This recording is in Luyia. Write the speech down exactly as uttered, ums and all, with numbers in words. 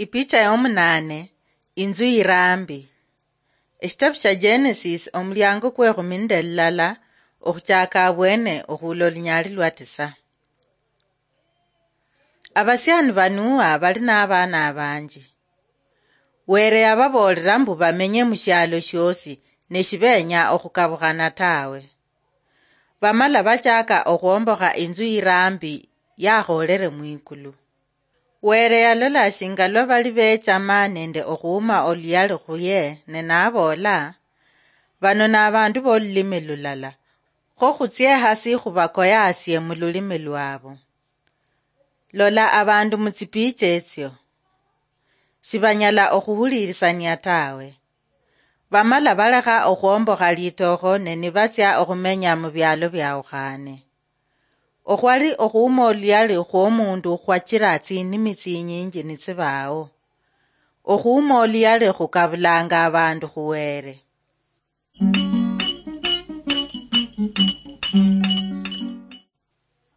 Ipicha yomunaane. Inzu irambi. Eshitabu sha Genesis, omulyango kwekhumi nende lulala, okhuchaka abwene okhuula olunyaali lwa tisa. Abasiani ba Nuha bali nabaana abanji. Were yababoolera mbu bamenye mushialo shiosi, ne shibenya okhukabukhana tawe. Bamala bachaka okhwombokha inzu irambi yakholere mwikulu. Were yalola shinga lwa bali bechama nende okhuuma oluyali khuye, ne naboola, "Bano nabandu bolulimi lulala, kho khutsie hasi khubakoyasie mululimi lwabo. Lola abandu mutsipicha etsio, shibanyala okhuhulirisania tawe." Bamala balekha okhwombokha litookho ne nibatsia okhumenya mubialo biawukhane. Okhwali okhuuma oluyali khwomundu khwachira tsinimi tsinyinji nitsibawo. Okhuuma oluyali khukabulanga abandu khuwere.